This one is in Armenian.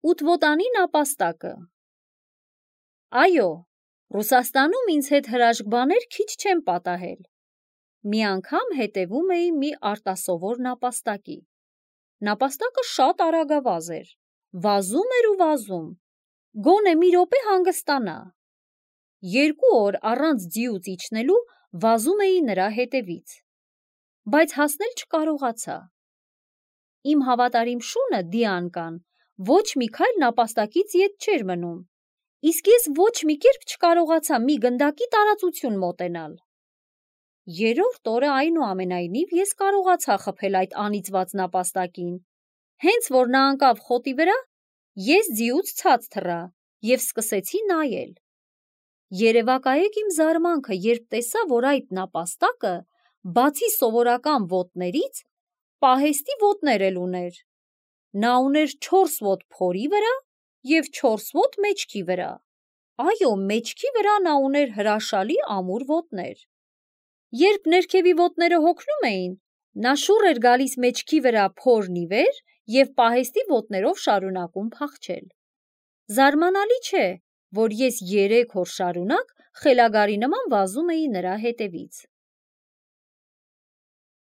Ուտվոտանի նապաստակը։ Այո, Ռուսաստանում ինձ հետ հրաշք բաներ քիչ չեն պատահել։ Մի անգամ հետևում էի մի արտասովոր նապաստակի։ Նապաստակը շատ արագավազ էր, վազում էր ու վազում, գոնե մի րոպե հանգստանա։ 2 օր առանց ձիուց իջնելու վազում էի նրա հետևից, բայց հասնել չկարողացա։ Իմ հավատարիմ շունը Դիանկան ոչ մի քայլ նապաստակից ետ չէր մնում, իսկ ես ոչ մի կերպ չկարողացա մի գնդակի տարածություն մոտենալ։ 3-րդ օրը այնուամենայնիվ ես կարողացա խփել այդ անիծված նապաստակին։ Հենց որ նա ընկավ խոտի վրա, ես ձիուց ցած թռա և սկսեցի նայել։ Երևակայեք իմ զարմանքը, երբ տեսա, որ այդ նապաստակը, բացի սովորական ոտներից, պահեստի ոտներ էլ ուներ։ Նա ուներ 4 ոտ փորի վրա և 4 ոտ մեջքի վրա։ Այո, մեջքի վրա նա ուներ հրաշալի ամուր ոտներ։ Երբ ներքևի ոտները հոգնում էին, նա շուռ էր գալիս մեջքի վրա փորն ի վեր և պահեստի ոտներով շարունակում փախչել։ Զարմանալի չէ, որ ես 3 օր շարունակ խելագարի նման վազում էի նրա հետևից։